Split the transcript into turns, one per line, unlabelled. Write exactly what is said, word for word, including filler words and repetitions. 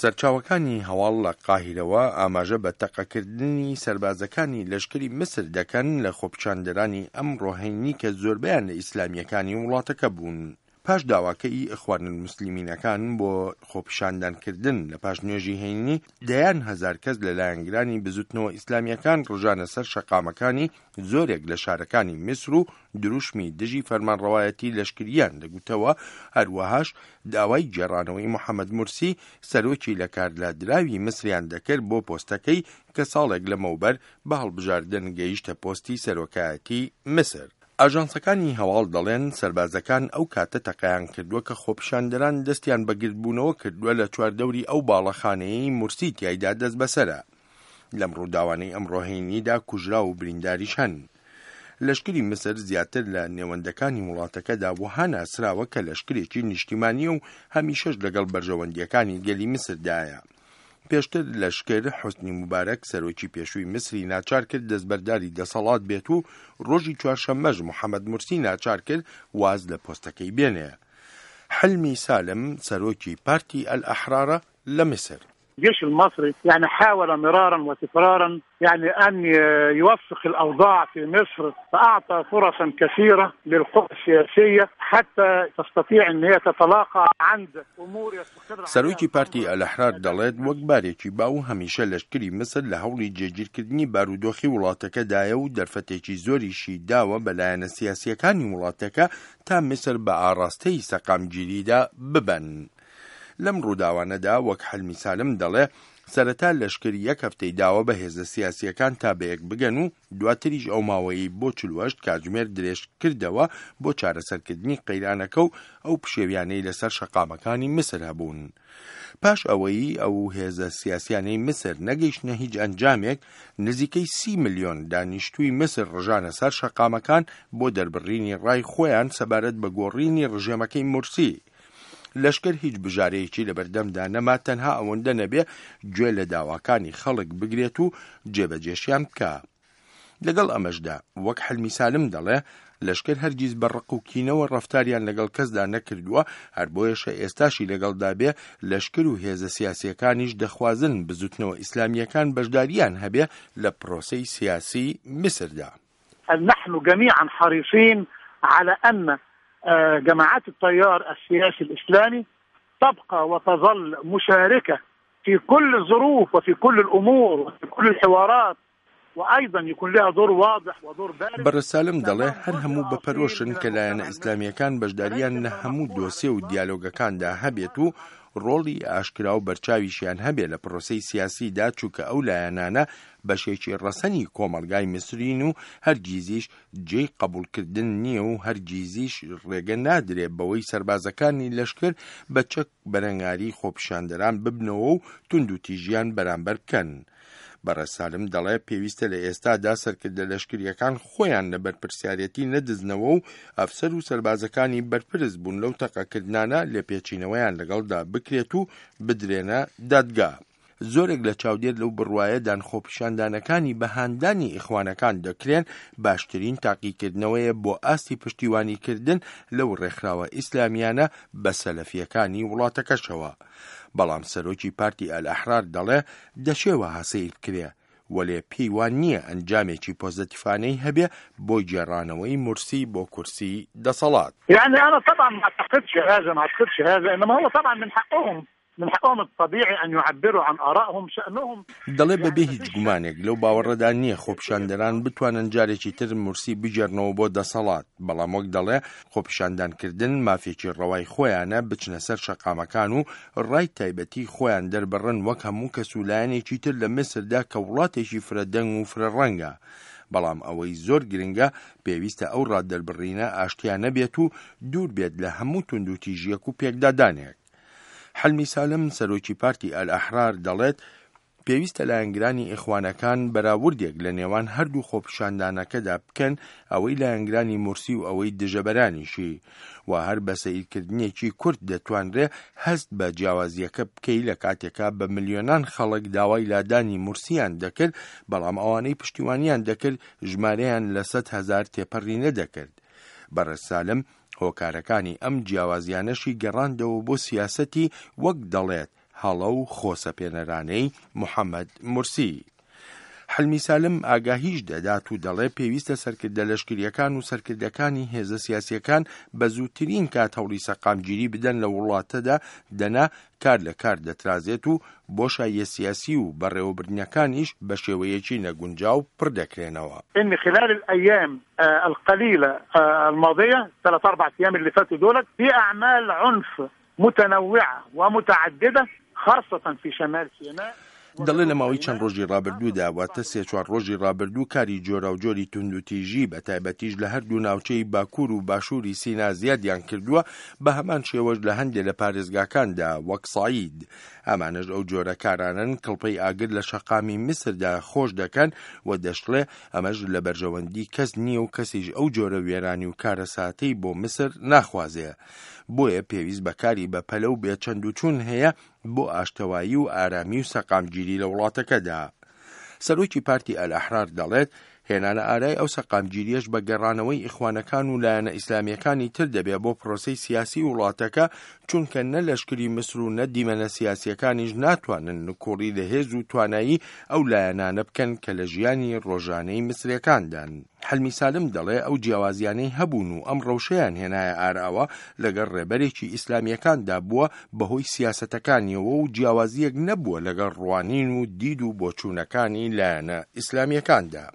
سەرچاوەکانی هەواڵ لە قاهیرەوە ئاماژە بە تەقەکردنی سەربازەکانی لەشکری میسر دەکەن لە خۆپیشاندەرانی ئەمڕۆ هەینی کە زۆربەیان لە ئیسلامییەکانی وڵاتەکە بوون. پاش داواکەی ئیخوانولموسلمینەکان بۆ خۆپیشاندانکردن لە پاش نوێژی هەینی، دەیان هەزار کەس لە لایەنگرانی بزوتنەوە ئیسلامییەکان ڕژانە سەر شەقامەکانی زۆرێک لە شارەکانی میسر و دروشمی دژی فەرمانڕەوایەتی لەشکریان دەگوتەوە، هەروەهاش داوای گێڕانەوەی محەمەد مورسی سەرۆکی لەکارلادراوی میسریان دەکرد بۆ پۆستەکەی کە ساڵێک لەمەوبەر بە هەڵبژاردن گەیشتە پۆستی سەرۆکایەتی میسر. ئاژانسەکانی هەواڵ دەڵێن سەربازەکان ئەو کاتە تەقەیان کردووە کە خۆپیشاندەران دەستیان بە گردبوونەوە کردووە لە چواردەوری ئەو باڵەخانەیەی مورسی تیایدا دەستبەسەرە. لەم ڕووداوانەی ئەمڕۆ هەینیدا کوژراو و برینداریش هەن. لەشکری میسر زیاتر لە نێوەندەکانی وڵاتەکەدا وەها ناسراوە کە لەشکرێکی نیشتیمانییە و هەمیشەش لەگەڵ بەرژەوەندییەکانی گەلی میسردایە. پێشتر لەشکر حوسنی موبارەک سەرۆکی پێشووی میسری ناچار کرد دەستبەرداری دەسەڵات بێت و ڕۆژی چوارشەممەش محەمەد مورسی ناچار کرد واز لە پۆستەکەی بێنێ. حلمی سالم سەرۆکی پارتی ئەلئەحرارە لە میسر.
الجيش المصري يعني حاول مرارا وتكرارا يعني أن يوفق الأوضاع في مصر، فأعطى فرصا كثيرة للقوى السياسية حتى تستطيع أن هي تتلاقى عند أمور يستقر.
سەرۆکی پارتی ئەلئەحرار دەڵێت وەک بارێکی باو هەمیشە لەشکری میسر لە هەوڵی جێگیرکردنی بارودۆخی وڵاتەکەدایە و دەرفەتێکی زۆریشی داوە بە لایەنە سیاسییەکانی وڵاتەکە تا میسر بە ئاڕاستەی سەقامگیریدا ببەن. لەم ڕووداوانەدا وەک حلمی سالم دەڵێ سەرەتا لەشکر یەک هەفتەی داوە بە هێزە سیاسیەکان تا بەیەک بگەن و دواتریش ئەو ماوەیەی بۆ چل و هەشت کاتژمێر درێژ کردەوە بۆ چارەسەرکردنی قەیرانەکە و ئەو پشێویانەی لەسەر شەقامەکانی میسر هەبوون. پاش ئەوەی ئەو هێزە سیاسیانەی میسر نەگەیشتنە هیچ ئەنجامێک، نزیکەی سی ملیۆن دانیشتووی میسر ڕژانە سەر شەقامەکان بۆ دەربڕینی ڕای خۆیان سەبارەت بە گۆڕینی ڕژێمەکەی مورسی. لەشکر هیچ بژارەیەکی لەبەردەمدا نەما تەنها ئەوەندە نەبێ گوێ لە داواکانی خەڵک بگرێت و جێبەجێشیان بکا. لەگەڵ ئەمەشدا وەک حلمی سالم دەڵێ لەشکر هەرگیز بە ڕق و کینەوە ڕەفتاریان لەگەڵ کەسدا نەکردووە، هەر بۆیەشە ئێستاشی لەگەڵدا بێ لەشکر و هێزە سیاسیەکانیش دەخوازن بزوتنەوە ئیسلامیەکان بەشداریان هەبێ لە پرۆسەی سیاسی میسردا.
نحن جميعا حريصين على أن جماعات التيار السياسي الإسلامي تبقى وتظل مشاركة في كل الظروف وفي كل الأمور وفي كل الحوارات، وأيضا يكون لها دور واضح ودور بارز.
بەڕێز سالم دەڵێ هەر هەموو بە پەرۆشن کە لایەنە ئیسلامیەکان بەشداریان لە هەموو دۆسێ و دیالۆگەکاندا هەبێت و ڕۆڵی ئاشکرا و بەرچاویشیان هەبێ لە پرۆسەی سیاسیدا، چونکە ئەو لایەنانە بەشێکی ڕەسەنی کۆمەڵگای میسرین و هەرگیزیش جێی قبوڵکردن نییە و هەرگیزیش ڕێگە نادرێ بەوەی سەربازەکانی لەشکر بە چەک بەرەنگاری خۆپیشاندەران ببنەوە و توندوتیژیان بەرامبەر بکەن. بەڕێز سالم دەڵێ پێویستە لە ئێستادا سەرکردە لەشکریەکان خۆیان لە بەرپرسیارەتی نەدزنەوە و ئەفسەر و سەربازەکانی بەرپرس بوون لەو تەقەکردنانە لێپێچینەوەیان لەگەڵدا بکرێت و بدرێنە دادگا. زۆرێک لە چاودێر لەو بڕوایەدان خۆپیشاندانەکانی بەهاندانی ئیخوانەکان دەکرێن باشترین تاقیکردنەوەیە بۆ ئاستی پشتیوانیکردن لەو ڕێکخراوە ئیسلامیانە بە سەلەفیەکانی وڵاتەکەشەوە. بەڵام سەرۆکی پارتی ئەلئەحرار دەڵێ دەشێ وەها سەیر بکرێ، وەلێ پێی وان نییە ئەنجامێکی پۆزەتیفانەی هەبێ بۆ گێڕانەوەی مورسی بۆ کورسی دەسەڵات.
يعني أنا طبعا ما أعتقدش هذا، ما أعتقدش هذا، إنما هو طبعا من حقهم، من حقهم الطبيعي أن يعبروا عن آرائهم شأنهم.
دەڵێ بەبێ هیچ گومانێک لەو باوەڕەدا نییە خۆپیشاندەران بتوانن جارێکی تر مورسی بگێڕنەوە بۆ دەسەڵات، بەڵام وەک دەڵێ خۆپیشاندانکردن مافێکی ڕەوای خۆیانە بچنە سەر شەقامەکان و ڕای تایبەتی خۆیان دەربڕن وەک هەموو کەس و لایەنێکی تر لە میسردا کە وڵاتێکی فرەدەنگ و فرەڕەنگە. بەڵام ئەوەی زۆر گرنگە پێویستە ئەو ڕادەربڕینە ئاشتیانە بێت و دوور بێت لە هەموو توندوتیژیەک و پێکدادانێک. حلمی سالم سەرۆکی پارتی ئەلئەحرار دەڵێت پێویستە لایەنگرانی ئیخوانەکان بەراوردێک لە نێوان هەردوو خۆپیشاندانەکەدا بکەن، ئەوەی لایەنگرانی مورسی و ئەوەی دژەبەرانیشی، و هەر بە سەیرکردنێکی کورت دەتوانرێ هەست بە جیاوازیەکە بکەی لە کاتێکا بە ملیۆنان خەڵک داوای لادانی مورسیان دەکرد، بەڵام ئەوانەی پشتیوانیان دەکرد ژمارەیان لە سەد هەزار تێپەڕی نەدەکرد. بەڕێز سالم هۆکارەکانی ئەم جیاوازیانەشی گەڕاندەوە بۆ سیاسەتی وەک دەڵێت هەڵە و خۆسەپێنەرانەی محەممەد مورسی. حلمی سالم ئاگاهیش دەدات و دەڵێ پێویستە سەرکردە لەشکریەکان و سەرکردەکانی هێزە سیاسیەکان بە زووترین کات هەوڵی سەقامگیری بدەن لە وڵاتەدا، دەنا کار لە کار دەترازێت و بۆشاییە سیاسی و بەڕێوەبردنەکانیش بە شێوەیەکی نەگونجاو پڕ دەکرێنەوە.
إن خلال الأيام القليلة الماضية ثلاث أربع أيام اللي فاتوا دولت في أعمال عنف متنوعة ومتعددة خاصة في شمال سيناء.
دەڵێ لە ماوەی چەند ڕۆژی ڕابردوودا، واتە سێ چوار ڕۆژی ڕابردوو، کاری جۆراوجۆری توندوتیژی بە تایبەتیش لە هەردوو ناوچەی باکوور و باشووری سینا زیادیان کردووە، بە هەمان شێوەش لە هەندێک لە پارێزگاکاندا وەک سەعید. ئەمانەش ئەو جۆرە کارانەن کڵپەی ئاگر لە شەقامی میسردا خۆش دەکەن و دەشڵێ ئەمەش لە بەرژەوەندی کەس نییە و کەسیش ئەو جۆرە وێرانی و کارەساتەی بۆ میسر ناخوازێ، بۆیە پێویست بە کاری بە پەلە و بێچەند و چوون هەیە بۆ ئاشتەوایی و ئارامی و سەقامگیری لە وڵاتەکەدا. سەرۆکی پارتی ئەلئەحرار دەڵێت هێنانە ئارای ئەو سەقامگیریەش بە گەڕانەوەی ئیخوانەکان و لایەنە ئیسلامیەکانی تر دەبێ بۆ پرۆسەی سیاسی وڵاتەکە، چونکە نە لەشکری میسر و نە دیمەنە سیاسیەکانیش ناتوانن نکۆڵی لە هێز و توانایی ئەو لایەنانە بکەن کە لە ژیانی ڕۆژانەی میسرەکاندان. حلمی سالم دەڵێ ئەو جیاوازیانەی هەبوون و ئەم ڕەوشەیان هێنایە ئاراوە لەگەڵ ڕێبەرێکی ئیسلامیەکاندا بووە بەهۆی سیاسەتەکانیەوە و جیاوازیەک نەبووە لەگەڵ ڕوانین و دید و بۆچوونەکانی لایەنە ئیسلامیەکاندا.